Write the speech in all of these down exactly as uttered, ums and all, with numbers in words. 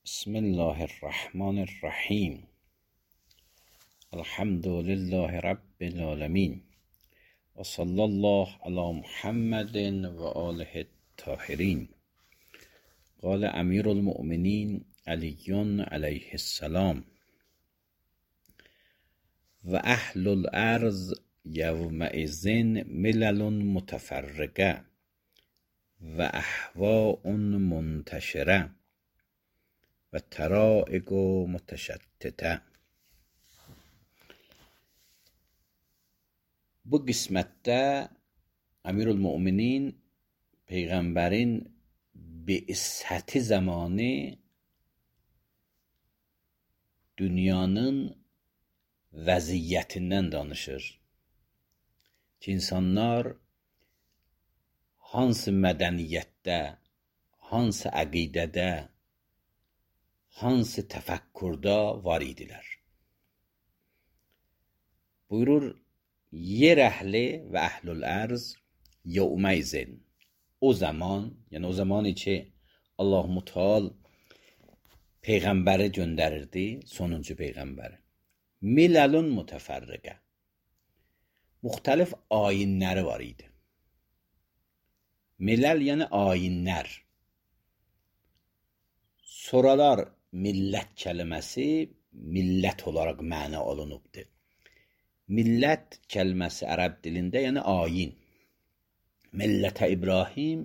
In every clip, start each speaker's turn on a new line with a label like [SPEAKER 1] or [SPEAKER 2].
[SPEAKER 1] بسم الله الرحمن الرحیم. الحمد لله رب العالمین و صلی الله علی محمد و آله الطاهرین. قال امیر المؤمنین علی علیه السلام: و اهل الارض یومئذ ملل متفرقه و اهواء منتشره و طرائق متشتته. Bu qismətdə Əmirül-Möminin Peyğəmbərin bi'səti zamanı dünyanın vəziyyətindən danışır ki, insanlar hansı mədəniyyətdə, hansı əqidədə, hansı təfəkkürdə var idilər. Buyurur, yer əhli və əhlül ərz yevmeyzin, o zaman, yəni o zamani ki Allah-u Teala Peyğəmbəri göndərirdi, sonuncu Peyğəmbəri. Miləlun mütəfərriqə, müxtəlif ayinləri var idi. Miləl yəni ayinlər. Sonralar millət kəlməsi millət olaraq məna olunubdur. Millət kəlməsi ərəb dilində yəni ayin. Millətə İbrahim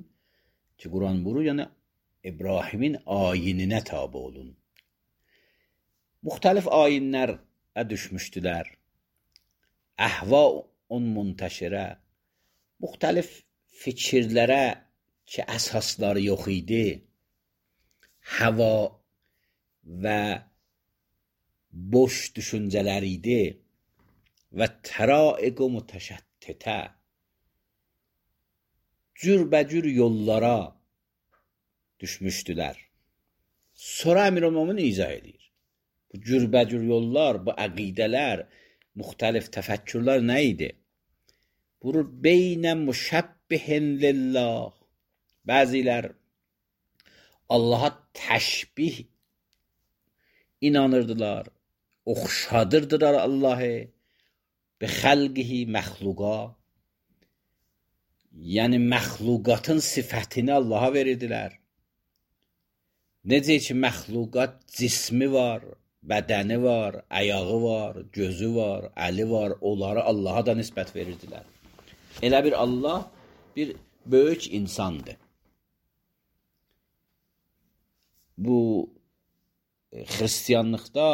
[SPEAKER 1] ki, Quran buyurur, yəni İbrahimin ayininə tabi olun. Müxtəlif ayinlərə düşmüşdülər. Əhva-un müntəşirə, müxtəlif fikirlərə ki, əsasları yox idi, hava və boş düşüncələr idi və təraiq mütəşəttitə, cürbəcür yollara düşmüşdülər. Sonra Əmirül-Möminin izah edir. Bu cürbəcür yollar, bu əqidələr, müxtəlif təfəkkürlər nə idi? Buyurur, beynə müşəbbihin lillah. Bəzilər Allaha təşbih inanırdılar, oxşadırdılar Allahı, bi xəlqihi məxluqa, yəni məxluqatın sifətini Allaha verirdilər. Necə ki, məxluqat cismi var, bədəni var, ayağı var, gözü var, əli var, onları Allaha da nisbət verirdilər. Elə bir Allah bir böyük insandır. Bu xristiyanlıqda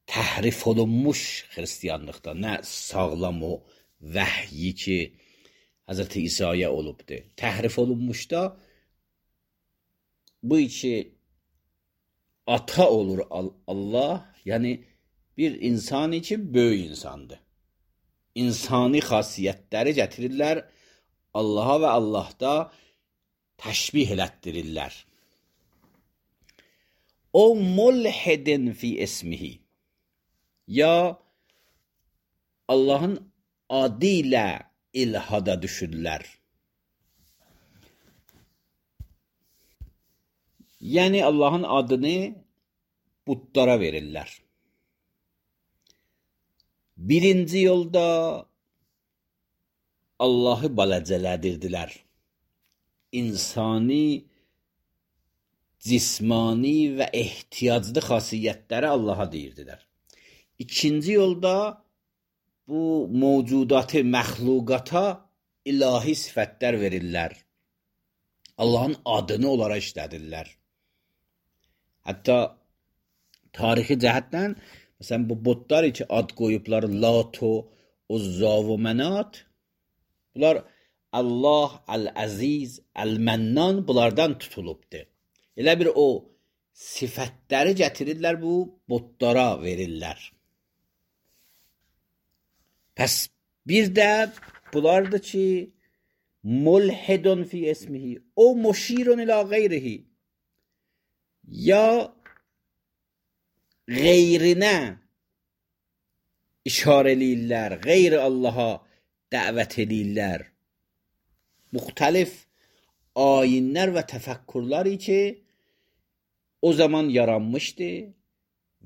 [SPEAKER 1] təhrif olunmuş xristiyanlıqda, nə sağlam o vəhyi ki Həzrəti İsa'ya olubdur. Təhrif olunmuşda bu iki ata olur Allah, yəni bir insan için böyük insandır. İnsani xasiyyətləri gətirirlər Allaha və Allahda təşbih elətdirirlər. O mulhidin fi ismihi, ya Allahın adı ilə ilhada düşürlər. Yəni Allahın adını butlara verirlər. Birinci yolda Allahı balacələdirdilər. İnsani, cismani və ehtiyaclı xasiyyətləri Allaha deyirdilər. İkinci yolda bu mövcudatı, məxluqata ilahi sifətlər verirlər. Allahın adını onlara işlədirlər. Hətta tarixi cəhətdən, məsələn, bu botlar ki, ad qoyublar, Lato, Uzza və Mənat, bunlar Allah, Əl-Əziz, Əl-Mənnan bunlardan tutulubdur. Elə bir o sifətləri gətirirlər, bu botlara verirlər. Pəs bir də bunlardır ki, mulhidun fi ismihi, o muşirun ila qeyrihi, ya qeyrinə işarə eləyirlər, qeyri Allaha dəvət eləyirlər. Müxtəlif ayinlər və təfəkkürləri ki, o zaman yaranmışdı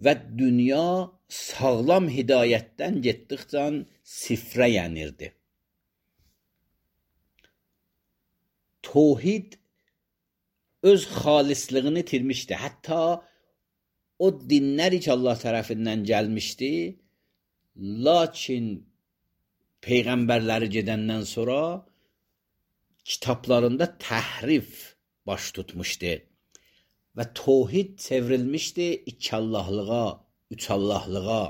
[SPEAKER 1] və dünya sağlam hidayətdən getdikcə sifrə yenirdi. Tevhid öz xalislığını itirmişdi. Hətta o dinlər ki Allah tərəfindən gəlmişdi, lakin peyğəmbərləri gedəndən sonra kitablarında təhrif baş tutmuşdu və tevhid çevrilmişdi iki Allahlığa, üç Allahlığa.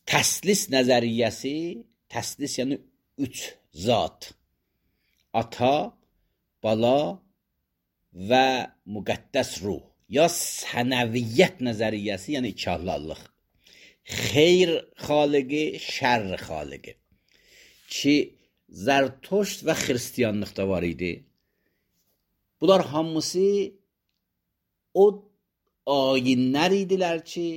[SPEAKER 1] Təslis nəzəriyyəsi, təslis yəni üç zat, ata, bala və müqəddəs ruh, ya sənəviyyət nəzəriyyəsi, yəni iki Allahlıq. Xeyr xaliqi, şər xaliqi ki Zərtoşt və xristiyanlıqda var idi. Bunlar hamısı o ayinlər idilər ki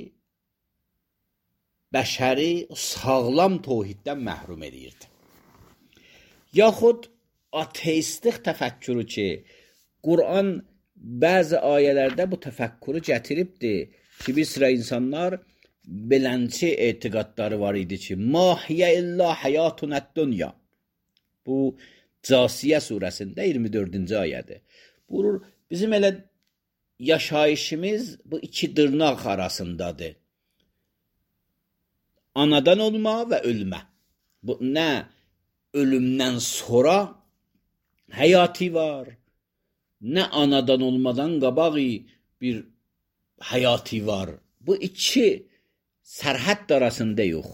[SPEAKER 1] bəşəri sağlam tevhiddən məhrum edirdi. Yaxud ateistlik təfəkkürü ki Quran bəzi ayələrdə bu təfəkkürü gətiribdi ki bir sıra insanlar belənçi etiqadları var idi ki mahiyə illa həyatun dünya. Bu Casiyə surəsində iyirmi dördüncü ayədir. Buyurur, bizim elə yaşayışımız bu iki dırnaq arasındadır. Anadan olma və ölmə. Bu nə ölümdən sonra həyatı var, nə anadan olmadan qabaq bir həyatı var. Bu iki sərhəd arasında yox.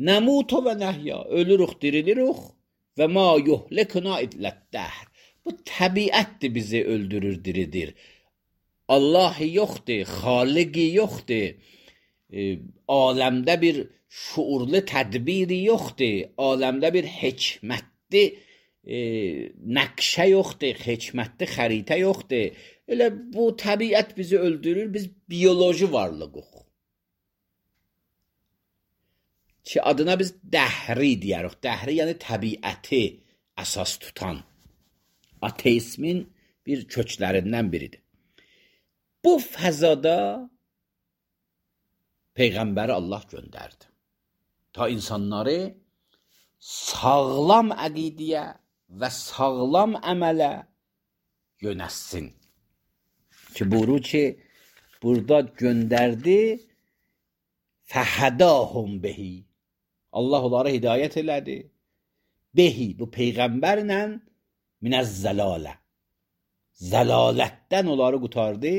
[SPEAKER 1] Nəmutu və nəhya, ölürük, dirilirik və ma yuhlikuna illət-dəhr. Bu təbiətdir bizi öldürür, diridir. Allahı yoxdur, xaliqi yoxdur. E, aləmdə bir şuurlu tədbiri yoxdur. Aləmdə bir hikmətli e, nəqşə yoxdur, hikmətli xəritə yoxdur. Elə bu təbiət bizi öldürür, biz biyoloji varlığıq. Ki adına biz dəhri deyirik. Dəhri yəni təbiəti əsas tutan. Ateizmin bir köklərindən biridir. Bu fəzada Peyğəmbəri Allah göndərdi. Ta insanları sağlam əqidiyə və sağlam əmələ yönətsin. Ki buyurur ki, burada göndərdi fəhədahum behi. Allah onlara hidayət elədi. Behi, bu Peyğəmbərlə minəz-zəlalə. Zəlalətdən onları qutardı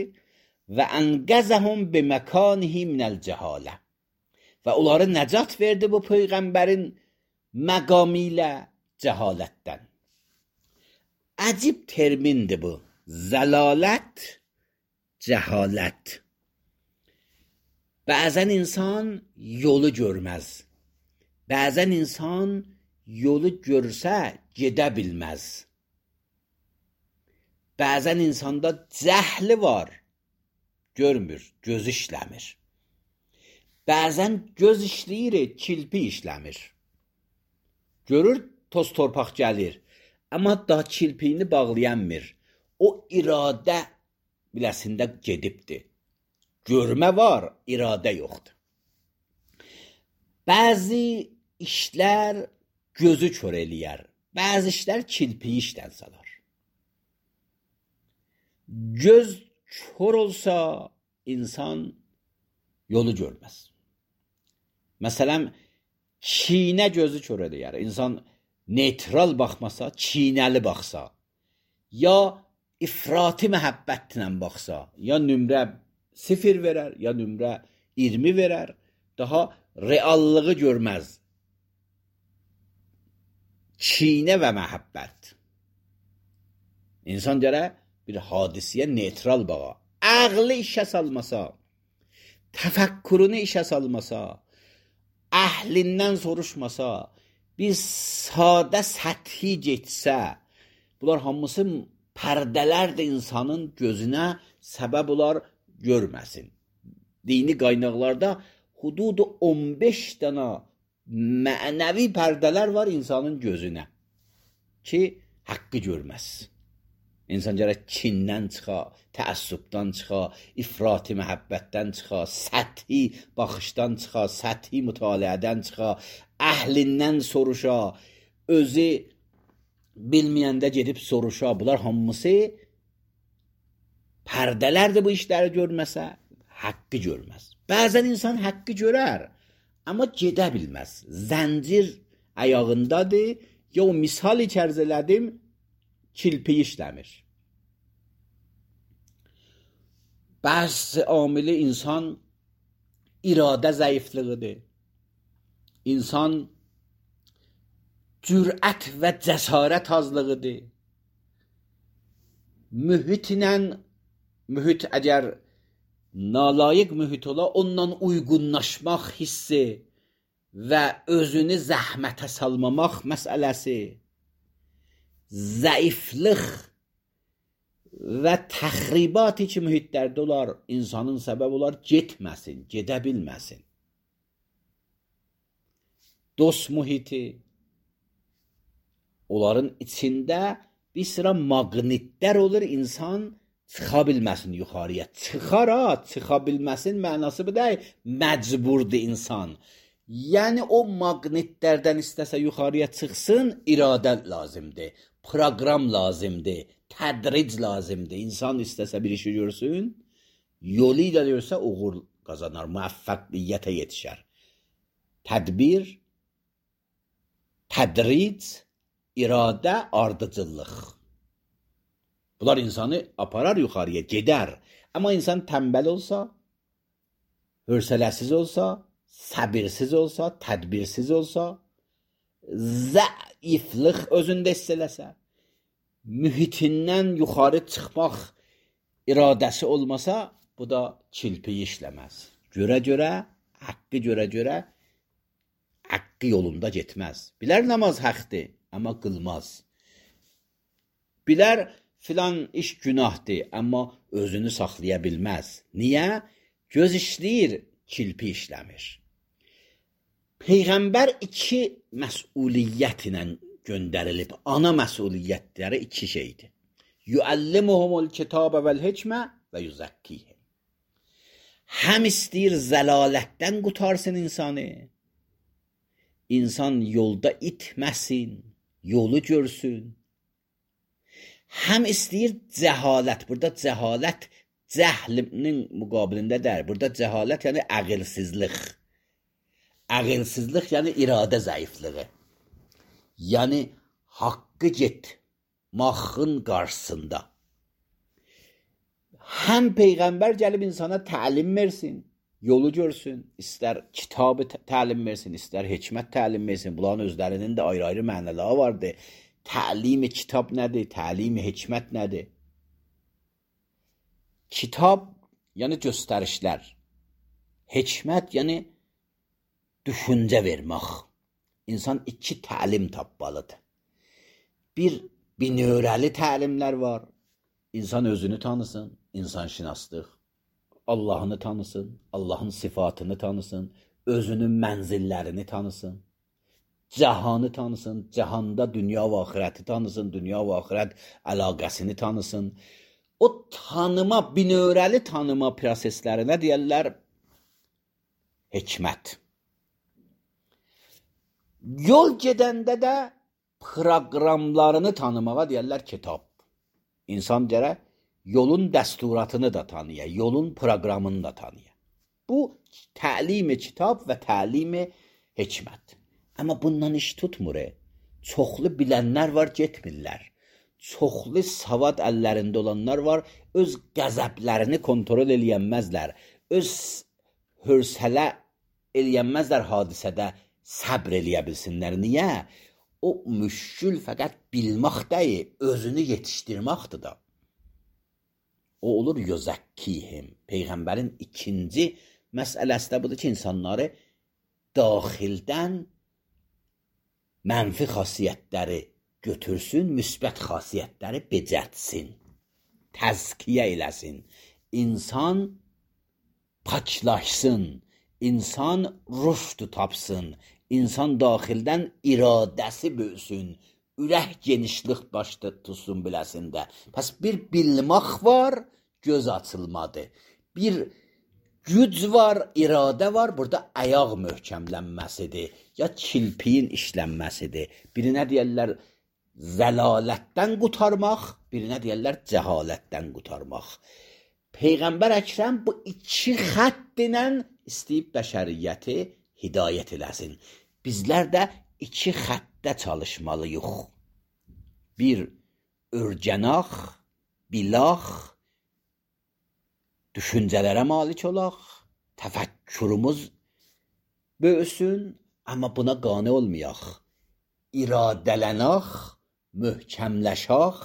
[SPEAKER 1] və ənqəzəhum biməkanihi minəl-cəhalə. Və onları nəcat verdi bu Peyğəmbərin məqamı ilə cəhalətdən. Əcib termindir bu. Zəlalət, cəhalət. Bəzən insan yolu görməz. Bəzən insan yolu görsə gedə bilməz. Bəzən insanda cəhli var, görmür, göz işləmir. Bəzən göz işləyir, kilpi işləmir. Görür, toz torpaq gəlir, amma daha kilpiyini bağlayanmır. O iradə biləsində gedibdir. Görmə var, iradə yoxdur. Bəzi işlər gözü kör eləyər, bəzi işlər kilpiyi işdən salar. Göz kör olsa insan yolu görməz. Məsələn, çiynə gözü kör eləyər. İnsan neytral baxmasa, çiynəli baxsa, ya ifrati məhəbbətlə baxsa, ya nömrə sıfır verər, ya nömrə iyirmi verər, daha reallığı görməz. Çiynə və məhəbbət. İnsan gərək bir hadisiyə neytral baxa. Ağlı işə salmasa, təfəkkürünü işə salmasa, əhlindən soruşmasa, bir sadə səthi getsə, bunlar hamısı pərdələrdir insanın gözünə səbəb olar görməsin. Dini qaynaqlarda hududu on beş dənə mənəvi pərdələr var insanın gözünə ki, haqqı görməz. İnsan gərək kindən çıxa, təəssübdən çıxa, ifrati məhəbbətdən çıxa, səthi baxışdan çıxa, səthi mütaliədən çıxa, əhlindən soruşa, özü bilməyəndə gedib soruşa. Bunlar hamısı pərdələrdir bu işləri görməsə, haqqı görməz. Bəzən insan haqqı görər, amma gedə bilməz. Zəncir ayağındadır, ya o misal içərz elədim, kilpi işləmir. Bəzi amili insan iradə zəifliğidir. İnsan cürət və cəsarət azlığıdır. Mühitlə, mühit əgər nalayiq mühit ola, onunla uyğunlaşmaq hissi və özünü zəhmətə salmamaq məsələsi, zəiflik və təxribat ki mühitlərdə olar, insanın səbəb olar, getməsin, gedə bilməsin. Dost mühiti, onların içində bir sıra maqnitlər olur, insan çıxa bilməsin yuxarıya. Çıxar ha, çıxa bilməsin mənası bu deyil, məcburdur insan. Yəni o maqnitlərdən istəsə yuxarıya çıxsın, iradə lazımdır, proqram lazımdır, tədric lazımdır. İnsan istəsə bir işi görsün, yolu ilə görsə uğur qazanar, müvəffəqiyyətə yetişər. Tədbir, tədric, iradə, ardıcıllıq. Bunlar insanı aparar yuxarıya, gedər. Amma insan tənbəl olsa, hövsələsiz olsa, səbirsiz olsa, tədbirsiz olsa, zəiflik özündə hiss eləsə, mühitindən yuxarı çıxmaq iradəsi olmasa, bu da kilpi işləməz. Görə-görə, haqqı görə-görə, haqqı yolunda getməz. Bilər namaz haqdır, amma qılmaz. Bilər filan iş günahdır, amma özünü saxlaya bilməz. Niyə? Göz işləyir, kilpi işləmir. Peyğəmbər iki məsuliyyət ilə göndərilib. Ana məsuliyyətləri iki şeydir. Yuəllimuhumul kitabə vəl-hikmə və yuzakkihim. Həm istəyir zəlalətdən qutarsın insanı, insan yolda itməsin, yolu görsün. Həm istəyir cəhalət, burada cəhalət cəhlinin müqabilində deyil, burada cəhalət yəni əqilsizlik. Əqilsizlik yəni iradə zəifliği. Yəni haqqı getmağın qarşısında. Həm Peyğəmbər gəlib insana təlim versin, yolu görsün, istər kitabı təlim versin, istər hikmət təlim versin. Bunların özlərinin də ayrı-ayrı mənaları vardır. Təlim-i kitab nədir? Təlim-i hikmət nədir? Kitab, yəni göstərişlər. Hikmət, yəni düşüncə vermək. İnsan iki təlim tapmalıdır. Bir, binövrəli təlimlər var. İnsan özünü tanısın, insanşünaslıq. Allahını tanısın, Allahın sifatını tanısın, özünün mənzillərini tanısın. Cahanı tanısın, cahanda dünya və axirəti tanısın, dünya və axirət əlaqəsini tanısın. O tanıma, binövrəli tanıma proseslərinə deyərlər hikmət. Yol gedəndə də proqramlarını tanımağa deyərlər kitab. İnsan gərək yolun dəsturatını da tanıya, yolun proqramını da tanıya. Bu təlim-i kitab və təlim-i hikmət. Amma bundan iş tutmur. Çoxlu bilənlər var, getmirlər. Çoxlu savad əllərində olanlar var, öz qəzəblərini kontrol eləyənməzlər. Öz hövsələ eləyənməzlər hadisədə, səbr eləyə bilsinlər. Niyə? O müşkül fəqət bilmək deyil, özünü yetişdirməkdir da. O olur yuzakkihim. Peyğəmbərin ikinci məsələsi də budur ki, insanları daxildən mənfi xasiyyətləri götürsün, müsbət xasiyyətləri becətsin, təzkiyə eləsin. İnsan paklaşsın, insan rüşd tapsın, insan daxildən iradəsi böyüsün, ürək genişlik başda tutsun biləsində. Pəs bir bilmək var, göz açılmadı. Bir güc var, iradə var, burada ayaq möhkəmlənməsidir, ya kilpiyin işlənməsidir. Birinə deyərlər zəlalətdən qurtarmaq, birinə deyərlər cəhalətdən qurtarmaq. Peyğəmbər Əkrəm bu iki xətt ilə istəyib bəşəriyyəti hidayət eləsin. Bizlər də iki xəttdə çalışmalıyıq. Bir, örgənaq, bilaq, düşüncələrə malik olaq, təfəkkürümüz böyüsün, amma buna qane olmayaq. İradələnaq, möhkəmləşaq,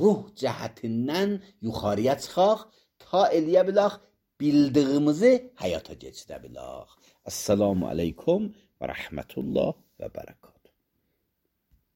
[SPEAKER 1] ruh cəhətindən yuxarıya çıxaq, ta eləyə bilək, bildiyimizi həyata keçirə bilək. Assalamu aleykum və rəhmətullah və bərəkət.